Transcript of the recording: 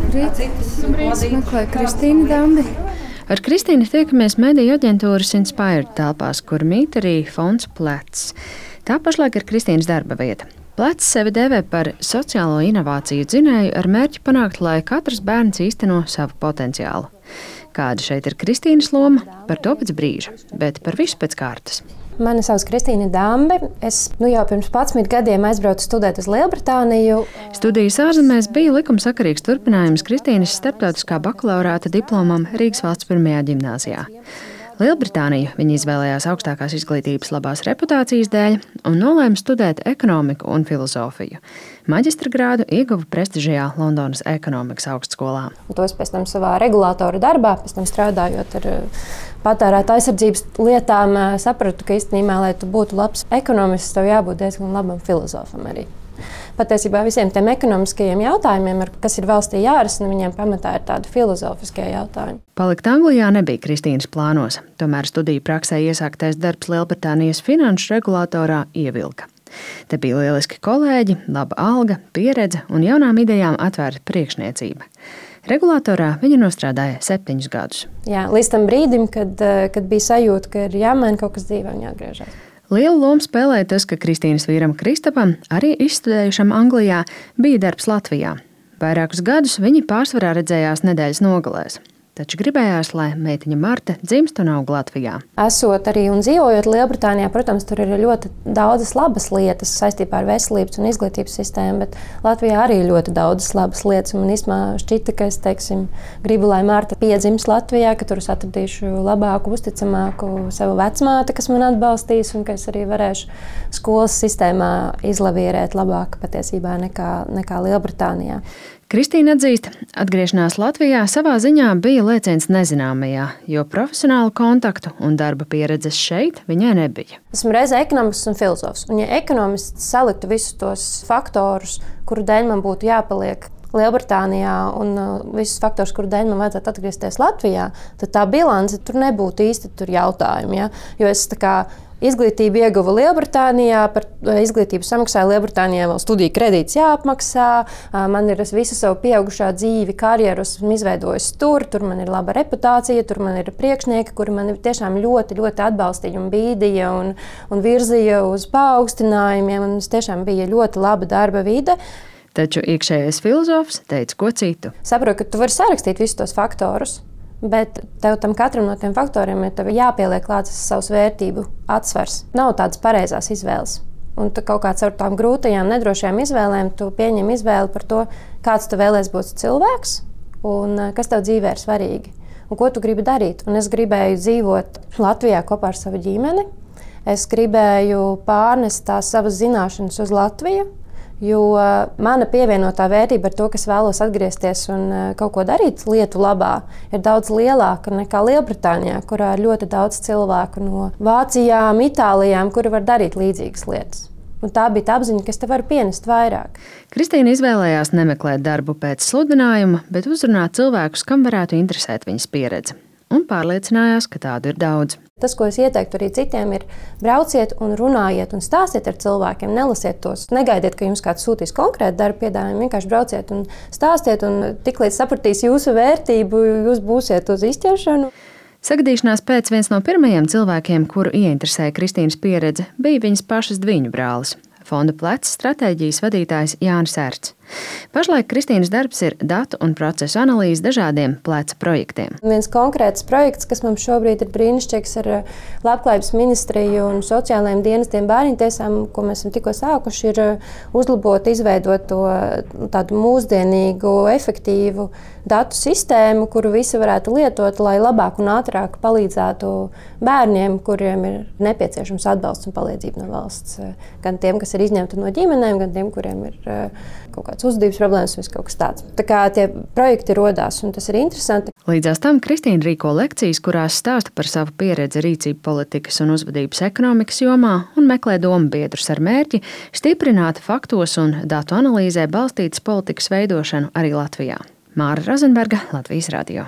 Meklēju Kristīnu Dambi. Ar Kristīnu tiekamies mediju aģentūras Inspired telpās, kur mīt arī fonds Plecs. Tā pašlaik ir Kristīnas darba vieta. Plecs sevi dēvē par sociālo inovāciju dzinēju ar mērķi panākt, lai katrs bērns īsteno savu potenciālu. Kāda šeit ir Kristīnas loma, par to pēc brīža, bet par visu pēc kārtas. Mani sauc Kristīna Dambi. Es jau pirms 11 gadiem aizbraucu studēt uz Lielbritāniju. Studijas ārzemēs bija likumsakarīgs turpinājums Kristīnas starptautiskā bakalaurāta diplomam Rīgas valsts pirmajā ģimnāzijā. Lielbritāniju viņa izvēlējās augstākās izglītības labās reputācijas dēļ un nolēma studēt ekonomiku un filozofiju. Maģistra grādu ieguva prestižajā Londonas ekonomikas augstskolā. To es pēc tam savā regulātora darbā, pēc tam strādājot ar patērētāju aizsardzības lietām, sapratu, ka īstenībā, lai tu būtu labs ekonomists, tev jābūt diezgan labam filozofam arī. Patiesībā visiem tiem ekonomiskajiem jautājumiem, kas ir valstī jārisina, viņiem pamatā ir tādi filozofiskie jautājumi. Palikt Anglijā nebija Kristīnas plānos, tomēr studiju praksē iesāktais darbs Lielbritānijas finanšu regulātorā ievilka. Te bija lieliski kolēģi, laba alga, pieredze un jaunām idejām atvērta priekšniecība. Regulātorā viņa nostrādāja 7 gadus. Jā, līdz tam brīdim, kad bija sajūta, ka ir jāmaina kaut kas dzīvē un jāatgriežas. Lielu lomu spēlēja tas, ka Kristīnas vīram Kristapam, arī izstudējušam Anglijā, bija darbs Latvijā. Vairākus gadus viņi pārsvarā redzējās nedēļas nogalēs. Taču gribējās, lai meitiņa Marta dzimst un aug Latvijā. Esot arī un dzīvojot Lielbritānijā, protams, tur ir ļoti daudzas labas lietas saistībā ar veselības un izglītības sistēmu, bet Latvijā arī ir ļoti daudzas labas lietas. Man īstenībā šķita, ka es gribu, lai Marta piedzimst Latvijā, ka tur es atradīšu labāku, uzticamāku savu vecmāti, kas man atbalstīs, un ka es arī varēšu skolas sistēmā izlavierēt labāk patiesībā nekā Lielbritānijā. Kristīna atzīst, atgriešanās Latvijā savā ziņā bija lēciens nezināmajā, jo profesionālu kontaktu un darba pieredzes šeit viņai nebija. Esmu reizē ekonomists un filozofs, un ja ekonomists saliktu visus tos faktorus, kuru dēļ man būtu jāpaliek Lielbritānijā un visus faktorus, kuru dēļ man vajadzētu atgriezties Latvijā, tad tā bilance tur nebūtu īsti jautājumi. Ja? Jo es izglītību ieguva Lielbritānijā, par izglītību samaksāju Lielbritānijā, vēl studiju kredīts jāapmaksā, man ir visu savu pieaugušā dzīvi, karjeru esmu izveidojis tur man ir laba reputācija, tur man ir priekšnieki, kuri mani tiešām ļoti, ļoti atbalstīja un bīdīja un virzīja uz paaugstinājumiem, un tas tiešām bija ļoti laba darba vide. Taču iekšējais filozofs teica ko citu. Saprotu, ka tu vari sarakstīt visus tos faktorus, bet tev tam katram no tiem faktoriem ir jāpieliek klāts savs vērtību atsvars. Nav tādas pareizās izvēles. Un tu kaut kā caur tām grūtajām, nedrošajām izvēlēm tu pieņem izvēli par to, kāds tu vēlēs būt cilvēks un kas tev dzīvē ir svarīgi un ko tu gribi darīt. Un es gribēju dzīvot Latvijā kopā ar savu ģimeni. Es gribēju pārnest tās savas zināšanas uz Latviju, jo mana pievienotā vērtība ar to, ka es vēlos atgriezties un kaut ko darīt lietu labā, ir daudz lielāka nekā Lielbritānijā, kurā ir ļoti daudz cilvēku no Vācijām, Itālijām, kuri var darīt līdzīgas lietas. Un tā bija tā apziņa, ka es te varu pienest vairāk. Kristīna izvēlējās nemeklēt darbu pēc sludinājuma, bet uzrunāt cilvēkus, kam varētu interesēt viņas pieredze. Un pārliecinājās, ka tādu ir daudz. Tas, ko es ieteiktu arī citiem, ir brauciet un runājiet un stāstiet ar cilvēkiem, nelasiet tos. Negaidiet, ka jums kāds sūtīs konkrētu darbu piedāvājumu, vienkārši brauciet un stāstiet, un tiklīdz sapratīs jūsu vērtību, jūs būsiet uz izķeršanu. Sagadīšanās pēc viens no pirmajiem cilvēkiem, kuru ieinteresēja Kristīnas pieredze, bija viņas pašas dviņu brālis. Fonda Plecs stratēģijas vadītājs Jānis Erts. Pašlaik Kristīnas darbs ir datu un procesu analīze dažādiem Pleca projektiem. Viens konkrēts projekts, kas mums šobrīd ir brīnišķīgs ar Labklājības ministriju un sociālajiem dienestiem bērniņtiesām, ko mēs esam tikko sākuši, ir uzlabot, izveidot to tādu mūsdienīgu, efektīvu datu sistēmu, kuru visi varētu lietot, lai labāk un ātrāk palīdzētu bērniem, kuriem ir nepieciešams atbalsts un palīdzība no valsts. Gan tiem, kas ir izņemti no ģimenēm, gan tiem, kuriem ir kaut kāds uzvedības problēmas vai kaut kas tāds. Tā kā tie projekti rodās, un tas ir interesanti. Līdzās tam Kristīna rīko lekcijas, kurās stāsta par savu pieredzi rīcību politikas un uzvedības ekonomikas jomā un meklē dombiedrus ar mērķi stiprināt faktos un datu analīzē balstītas politikas veidošanu arī Latvijā. Māra Rozenberga, Latvijas radio.